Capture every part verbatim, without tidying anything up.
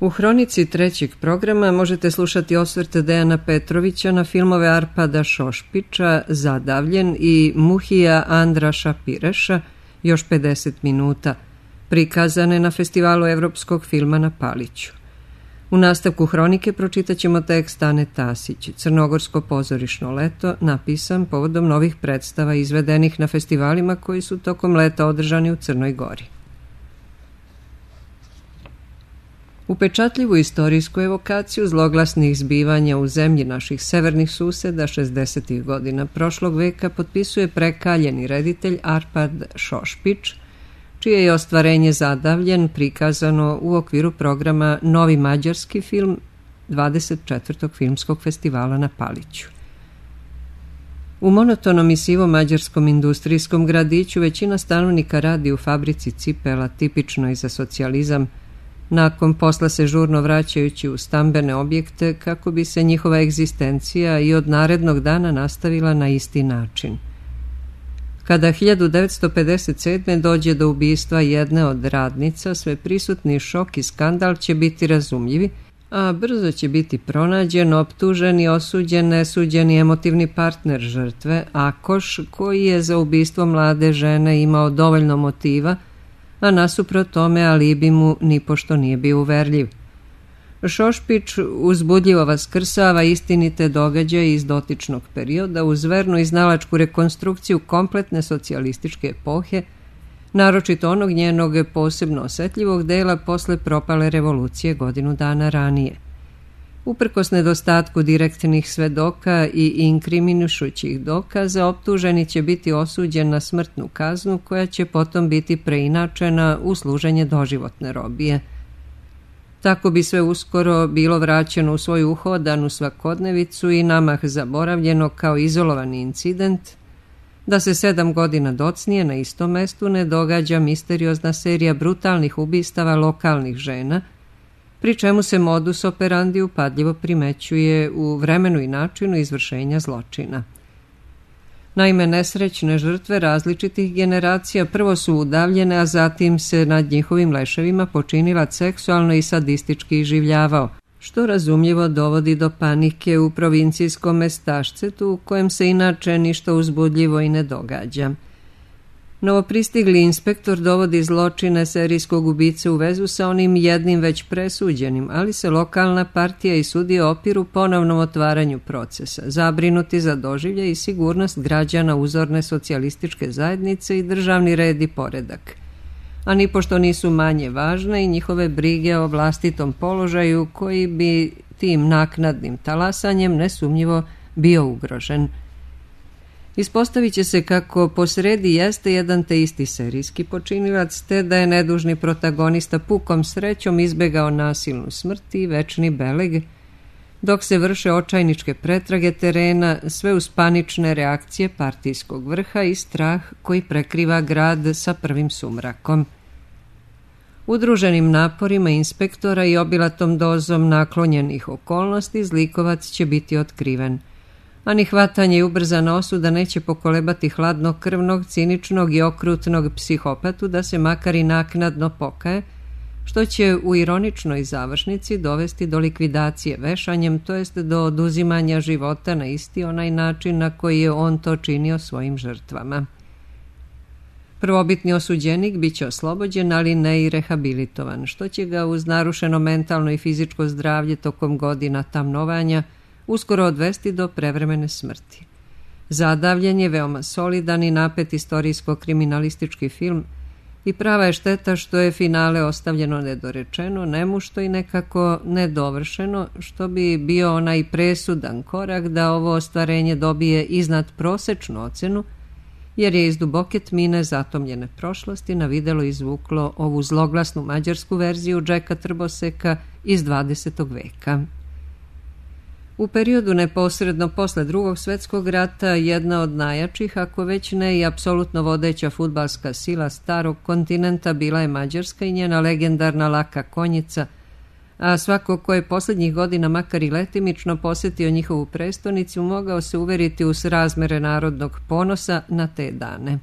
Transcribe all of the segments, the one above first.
U hronici trećeg programa možete slušati osvrte Dejana Petrovića na filmove Arpada Šošpića Zadavljen i Muhija Andraša Pireša još pedeset minuta, prikazane na Festivalu evropskog filma na Paliću. U nastavku hronike pročitat ćemo tekst Ane Tasić, Crnogorsko pozorišno leto, napisan povodom novih predstava izvedenih na festivalima koji su tokom leta održani u Crnoj Gori. Upečatljivu istorijsku evokaciju zloglasnih zbivanja u zemlji naših severnih suseda šezdesetih godina prošlog veka potpisuje prekaljeni reditelj Arpad Šošpić, čije je ostvarenje Zadavljen prikazano u okviru programa Novi mađarski film dvadeset četvrtog filmskog festivala na Paliću. U monotonom i sivom mađarskom industrijskom gradiću većina stanovnika radi u fabrici cipela, tipično i za socijalizam, nakon posla se žurno vraćajući u stambene objekte kako bi se njihova egzistencija i od narednog dana nastavila na isti način. Kada hiljadu devetsto pedeset sedme dođe do ubistva jedne od radnica, sve prisutni šok i skandal će biti razumljivi, a brzo će biti pronađen, optužen i osuđen nesuđeni emotivni partner žrtve, Akoš, koji je za ubistvo mlade žene imao dovoljno motiva, a nasuprot tome alibi mu nipošto nije bio uverljiv. Šošpić uzbudljivo vaskrsava istinite događaje iz dotičnog perioda uz vernu i znalačku rekonstrukciju kompletne socijalističke epohe, naročito onog njenog posebno osetljivog dela posle propale revolucije godinu dana ranije. Uprkos nedostatku direktnih svedoka i inkriminušućih dokaza, optuženi će biti osuđen na smrtnu kaznu koja će potom biti preinačena u služenje doživotne robije. Tako bi sve uskoro bilo vraćeno u svoju uhodanu svakodnevicu i namah zaboravljeno kao izolovani incident, da se sedam godina docnije na istom mestu ne događa misteriozna serija brutalnih ubistava lokalnih žena, pri čemu se modus operandi upadljivo primećuje u vremenu i načinu izvršenja zločina. Naime, nesrećne žrtve različitih generacija prvo su udavljene, a zatim se nad njihovim leševima počinilac seksualno i sadistički iživljavao, što razumljivo dovodi do panike u provincijskom mestašcetu u kojem se inače ništa uzbudljivo i ne događa. Novopristigli inspektor dovodi zločine serijskog ubice u vezu sa onim jednim već presuđenim, ali se lokalna partija i sudije opiru ponovnom otvaranju procesa, zabrinuti za doživlje i sigurnost građana uzorne socijalističke zajednice i državni red i poredak. A nipošto nisu manje važne i njihove brige o vlastitom položaju koji bi tim naknadnim talasanjem nesumnjivo bio ugrožen. Ispostavit će se kako posredi jeste jedan te isti serijski počinilac, te da je nedužni protagonista pukom srećom izbegao nasilnu smrt i večni beleg, dok se vrše očajničke pretrage terena, sve uz panične reakcije partijskog vrha i strah koji prekriva grad sa prvim sumrakom. Udruženim naporima inspektora i obilatom dozom naklonjenih okolnosti zlikovac će biti otkriven, a ni hvatanje i ubrzana osuda neće pokolebati hladnokrvnog, ciničnog i okrutnog psihopatu da se makar i naknadno pokaje, što će u ironičnoj završnici dovesti do likvidacije vešanjem, to jest do oduzimanja života na isti onaj način na koji je on to činio svojim žrtvama. Prvobitni osuđenik bit će oslobođen, ali ne i rehabilitovan, što će ga uz narušeno mentalno i fizičko zdravlje tokom godina tamnovanja uskoro odvesti do prevremene smrti. Zadavljen je veoma solidan i napet istorijsko-kriminalistički film i prava je šteta što je finale ostavljeno nedorečeno, nemušto i nekako nedovršeno, što bi bio onaj presudan korak da ovo ostvarenje dobije iznad prosečnu ocenu, jer je iz duboke tmine zatomljene prošlosti na videlo izvuklo ovu zloglasnu mađarsku verziju Džeka Trboseka iz dvadesetog veka. U periodu neposredno posle Drugog svjetskog rata jedna od najjačih, ako već ne i apsolutno vodeća fudbalska sila starog kontinenta bila je Mađarska i njena legendarna laka konjica, a svako ko je posljednjih godina makar i letimično posjetio njihovu prestonicu mogao se uveriti u srazmere narodnog ponosa na te dane.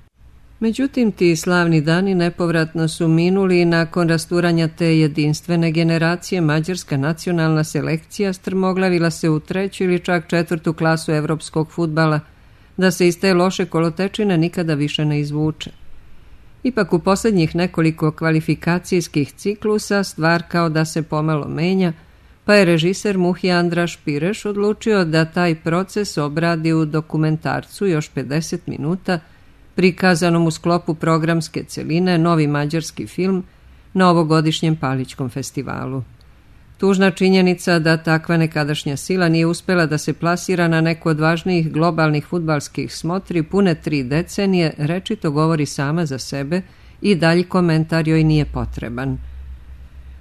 Međutim, ti slavni dani nepovratno su minuli i nakon rasturanja te jedinstvene generacije mađarska nacionalna selekcija strmoglavila se u treću ili čak četvrtu klasu evropskog fudbala, da se iz te loše kolotečine nikada više ne izvuče. Ipak u posljednjih nekoliko kvalifikacijskih ciklusa stvar kao da se pomalo menja, pa je režiser Muhija Andraš Pireš odlučio da taj proces obradi u dokumentarcu još pedeset minuta, prikazanom u sklopu programske celine Novi mađarski film na ovogodišnjem Palićkom festivalu. Tužna činjenica da takva nekadašnja sila nije uspela da se plasira na neku od važnijih globalnih fudbalskih smotri pune tri decenije rečito govori sama za sebe i dalji komentar joj nije potreban.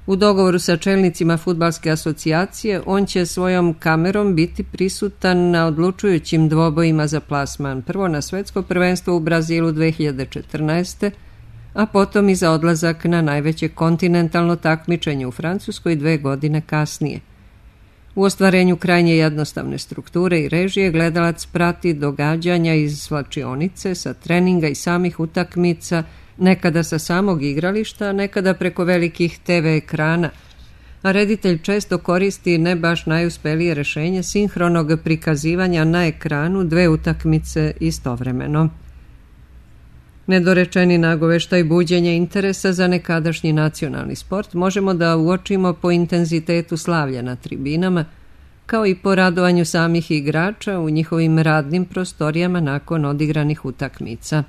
U dogovoru sa čelnicima fudbalske asocijacije on će svojom kamerom biti prisutan na odlučujućim dvobojima za plasman, prvo na svetsko prvenstvo u Brazilu dve hiljade četrnaeste. a potom i za odlazak na najveće kontinentalno takmičenje u Francuskoj dve godine kasnije. U ostvarenju krajnje jednostavne strukture i režije gledalac prati događanja iz svlačionice, sa treninga i samih utakmica, nekada sa samog igrališta, nekada preko velikih te ve ekrana, a reditelj često koristi ne baš najuspelije rešenje sinhronog prikazivanja na ekranu dve utakmice istovremeno. Nedorečeni nagoveštaj buđenja interesa za nekadašnji nacionalni sport možemo da uočimo po intenzitetu slavlja na tribinama, kao i po radovanju samih igrača u njihovim radnim prostorijama nakon odigranih utakmica.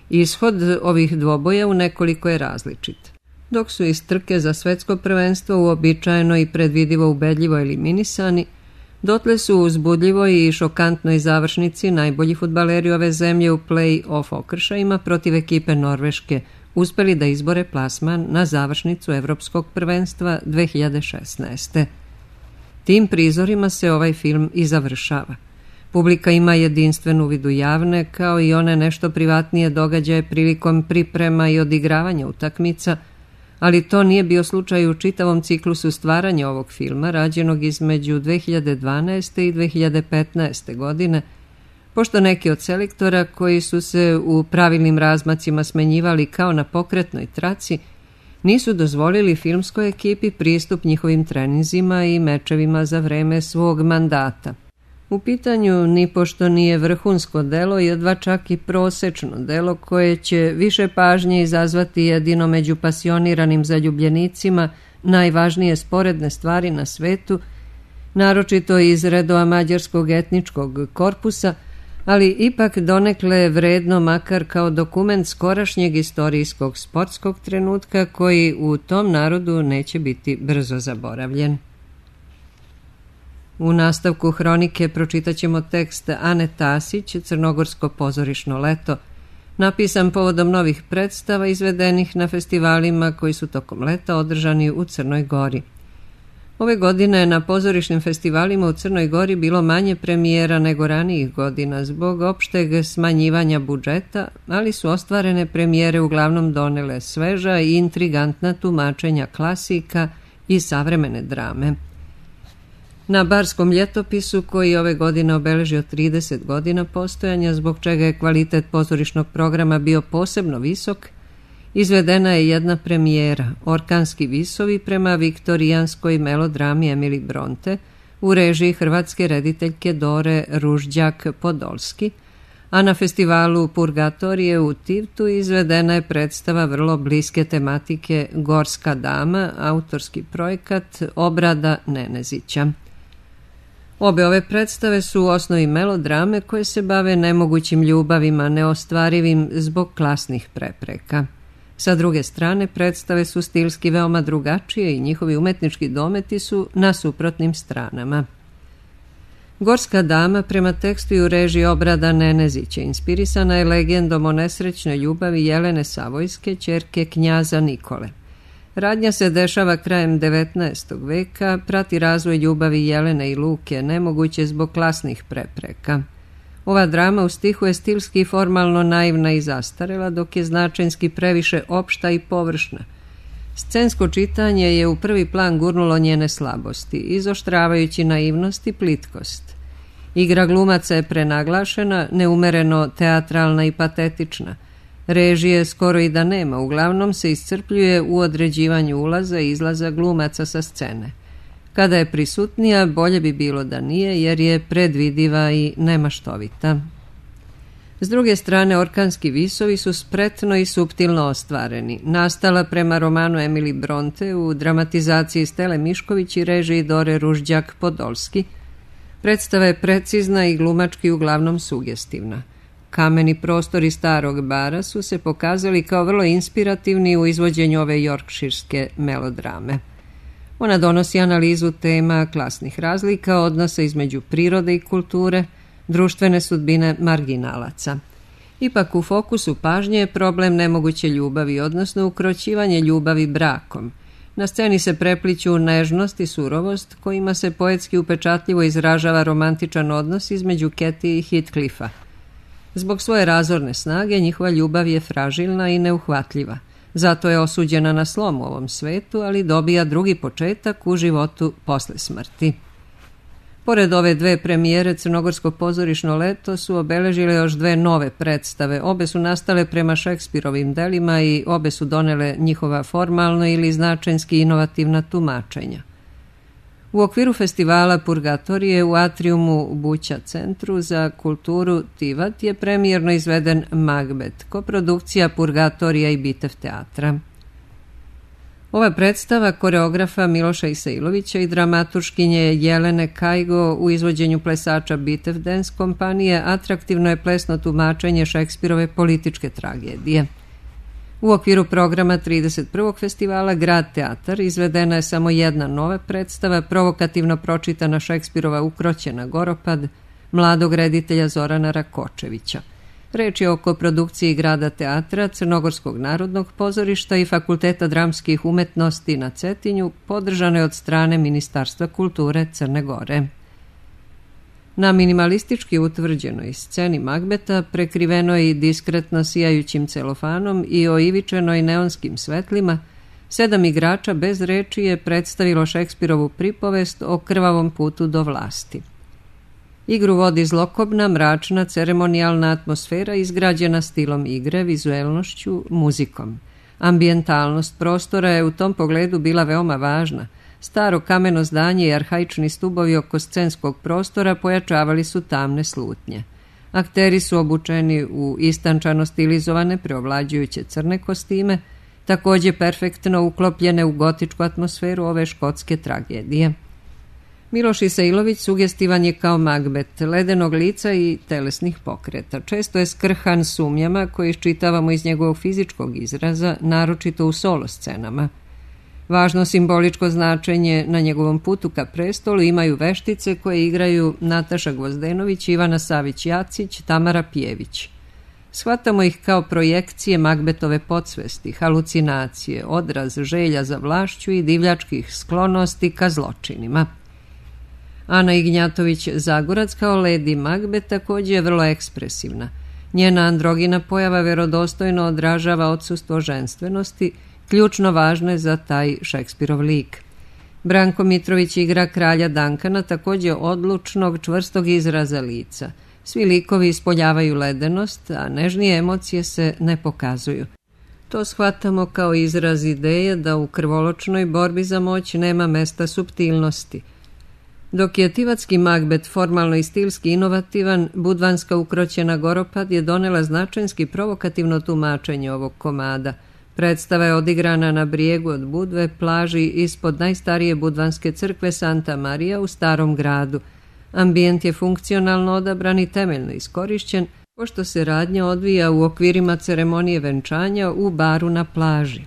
Ishod ovih dvoboja u nekoliko je različit. Dok su iz trke za svetsko prvenstvo uobičajeno i predvidivo ubedljivo eliminisani, dotle su u uzbudljivoj i šokantnoj završnici najbolji fudbaleri ove zemlje u play-off okršajima protiv ekipe Norveške uspeli da izbore plasman na završnicu Evropskog prvenstva dve hiljade šesnaeste. Tim prizorima se ovaj film i završava. Publika ima jedinstven uvid u javne, kao i one nešto privatnije događaje prilikom priprema i odigravanja utakmica, ali to nije bio slučaj u čitavom ciklusu stvaranja ovog filma, rađenog između dve hiljade dvanaeste. i dve hiljade petnaeste. godine, pošto neki od selektora koji su se u pravilnim razmacima smenjivali kao na pokretnoj traci, nisu dozvolili filmskoj ekipi pristup njihovim treninzima i mečevima za vreme svog mandata. U pitanju nipošto nije vrhunsko delo, jedva čak i prosečno delo koje će više pažnje izazvati jedino među pasioniranim zaljubljenicima najvažnije sporedne stvari na svetu, naročito iz redova mađarskog etničkog korpusa, ali ipak donekle vredno makar kao dokument skorašnjeg istorijskog sportskog trenutka koji u tom narodu neće biti brzo zaboravljen. U nastavku hronike pročitat ćemo tekst Ane Tasić, Crnogorsko pozorišno leto, napisan povodom novih predstava izvedenih na festivalima koji su tokom leta održani u Crnoj Gori. Ove godine na pozorišnim festivalima u Crnoj Gori bilo manje premijera nego ranijih godina zbog opšteg smanjivanja budžeta, ali su ostvarene premijere uglavnom donele sveža i intrigantna tumačenja klasika i savremene drame. Na Barskom ljetopisu, koji ove godine obeležio trideset godina postojanja, zbog čega je kvalitet pozorišnog programa bio posebno visok, izvedena je jedna premijera, Orkanski visovi prema viktorijanskoj melodrami Emily Bronte, u režiji hrvatske rediteljke Dore Ružđak-Podolski, a na festivalu Purgatorije u Tivtu izvedena je predstava vrlo bliske tematike Gorska dama, autorski projekat Obrada Nenezića. Obe ove predstave su u osnovi melodrame koje se bave nemogućim ljubavima, neostvarivim zbog klasnih prepreka. Sa druge strane, predstave su stilski veoma drugačije i njihovi umetnički dometi su na suprotnim stranama. Gorska dama prema tekstu i u režiji Obrada Nenezića inspirisana je legendom o nesrećnoj ljubavi Jelene Savojske, ćerke knjaza Nikole. Radnja se dešava krajem devetnaestog veka, prati razvoj ljubavi Jelene i Luke, nemoguće zbog klasnih prepreka. Ova drama u stihu je stilski i formalno naivna i zastarela, dok je značenjski previše opšta i površna. Scensko čitanje je u prvi plan gurnulo njene slabosti, izoštravajući naivnost i plitkost. Igra glumaca je prenaglašena, neumereno teatralna i patetična. Režije skoro i da nema, uglavnom se iscrpljuje u određivanju ulaza i izlaza glumaca sa scene. Kada je prisutnija, bolje bi bilo da nije, jer je predvidiva i nemaštovita. S druge strane, Orkanski visovi su spretno i suptilno ostvareni. Nastala prema romanu Emily Bronte u dramatizaciji Stele Mišković i režiji Dore Ružđak Podolski. Predstava je precizna i glumački uglavnom sugestivna. Kameni prostori starog bara su se pokazali kao vrlo inspirativni u izvođenju ove jorkširske melodrame. Ona donosi analizu tema klasnih razlika, odnosa između prirode i kulture, društvene sudbine marginalaca. Ipak u fokusu pažnje je problem nemoguće ljubavi, odnosno ukroćivanje ljubavi brakom. Na sceni se prepliću nežnost i surovost, kojima se poetski upečatljivo izražava romantičan odnos između Ketty i Heathcliffa. Zbog svoje razorne snage njihova ljubav je fražilna i neuhvatljiva. Zato je osuđena na slom u ovom svetu, ali dobija drugi početak u životu posle smrti. Pored ove dve premijere, Crnogorsko pozorišno leto su obeležile još dve nove predstave. Obe su nastale prema Šekspirovim delima i obe su donele njihova formalno ili značenski inovativna tumačenja. U okviru festivala Purgatorije u atriumu Buća centru za kulturu Tivat je premijerno izveden Magbet, koprodukcija Purgatorija i Bitev teatra. Ova predstava koreografa Miloša Isailovića i dramaturškinje Jelene Kajgo u izvođenju plesača Bitev Dance kompanije atraktivno je plesno tumačenje Šekspirove političke tragedije. U okviru programa trideset prvog festivala Grad teatar izvedena je samo jedna nova predstava, provokativno pročitana Šekspirova Ukroćena Goropad, mladog reditelja Zorana Rakočevića. Reč je o koprodukciji Grada teatra, Crnogorskog narodnog pozorišta i Fakulteta dramskih umetnosti na Cetinju, podržane od strane Ministarstva kulture Crne Gore. Na minimalistički utvrđenoj sceni Magbeta, prekrivenoj i diskretno sijajućim celofanom i oivičenoj neonskim svetlima, sedam igrača bez reči je predstavilo Šekspirovu pripovest o krvavom putu do vlasti. Igru vodi zlokobna, mračna, ceremonijalna atmosfera izgrađena stilom igre, vizuelnošću, muzikom. Ambijentalnost prostora je u tom pogledu bila veoma važna. Staro kameno zdanje i arhaični stubovi oko scenskog prostora pojačavali su tamne slutnje. Akteri su obučeni u istančano stilizovane, preovlađujuće crne kostime, također perfektno uklopljene u gotičku atmosferu ove škotske tragedije. Miloš Isailović sugestivan je kao Magbet, ledenog lica i telesnih pokreta. Često je skrhan sumnjama koje iščitavamo iz njegovog fizičkog izraza, naročito u solo scenama. Važno simboličko značenje na njegovom putu ka prestolu imaju veštice koje igraju Nataša Gvozdenović, Ivana Savić-Jacić, Tamara Pjević. Shvatamo ih kao projekcije Magbetove podsvesti, halucinacije, odraz želja za vlašću i divljačkih sklonosti ka zločinima. Ana Ignjatović-Zagorac kao Lady Magbet također je vrlo ekspresivna. Njena androgina pojava verodostojno odražava odsustvo ženstvenosti, ključno važno je za taj Šekspirov lik. Branko Mitrović igra kralja Dankana, također odlučnog, čvrstog izraza lica. Svi likovi ispoljavaju ledenost, a nežnije emocije se ne pokazuju. To shvatamo kao izraz ideje da u krvoločnoj borbi za moć nema mesta suptilnosti. Dok je tivatski Magbet formalno i stilski inovativan, budvanska Ukroćena Goropad je donela značenski provokativno tumačenje ovog komada. Predstava je odigrana na brijegu od Budve, plaži ispod najstarije budvanske crkve Santa Marija u Starom gradu. Ambijent je funkcionalno odabran i temeljno iskorišćen, pošto se radnja odvija u okvirima ceremonije venčanja u baru na plaži.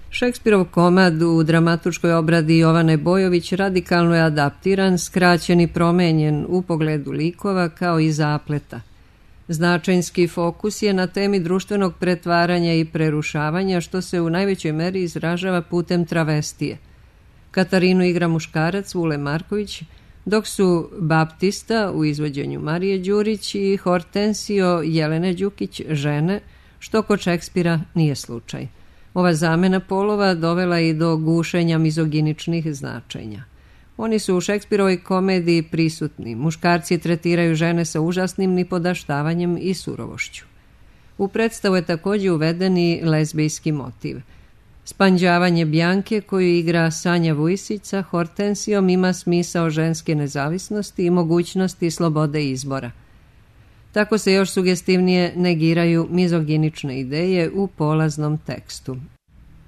Šekspirov komad u dramaturškoj obradi Jovane Bojović radikalno je adaptiran, skraćen i promenjen u pogledu likova kao i zapleta. Značajnski fokus je na temi društvenog pretvaranja i prerušavanja, što se u najvećoj meri izražava putem travestije. Katarinu igra muškarac Vule Marković, dok su Baptista u izvođenju Marije Đurić i Hortensio Jelene Đukić žene, što kod Šekspira nije slučaj. Ova zamena polova dovela i do gušenja mizoginičnih značenja. Oni su u Šekspirovoj komediji prisutni. Muškarci tretiraju žene sa užasnim nipodaštavanjem i surovošću. U predstavu je također uveden i lezbijski motiv. Spanđavanje Bjanke, koju igra Sanja Vujisić sa Hortensijom, ima smisao ženske nezavisnosti i mogućnosti slobode izbora. Tako se još sugestivnije negiraju mizoginične ideje u polaznom tekstu.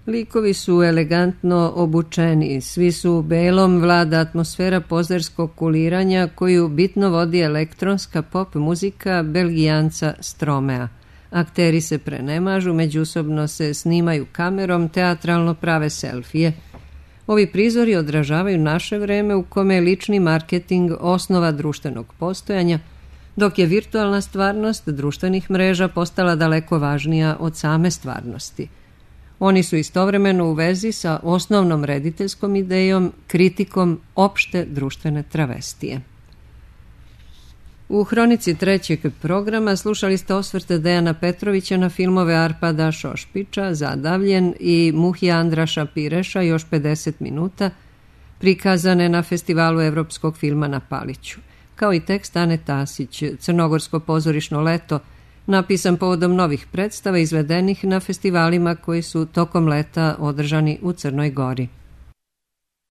Likovi su elegantno obučeni, svi su u belom, vlada atmosfera pozerskog kuliranja koju bitno vodi elektronska pop muzika Belgijanca Stromea. Akteri se prenemažu, međusobno se snimaju kamerom, teatralno prave selfije. Ovi prizori odražavaju naše vreme u kome je lični marketing osnova društvenog postojanja, dok je virtualna stvarnost društvenih mreža postala daleko važnija od same stvarnosti. Oni su istovremeno u vezi sa osnovnom rediteljskom idejom, kritikom opšte društvene travestije. U hronici trećeg programa slušali ste osvrte Dejana Petrovića na filmove Arpada Šošpića, Zadavljen i Muhija Andraša Pireša, još pedeset minuta, prikazane na Festivalu evropskog filma na Paliću, kao i tekst Ane Tasić, Crnogorsko pozorišno leto, napisan povodom novih predstava izvedenih na festivalima koji su tokom leta održani u Crnoj Gori.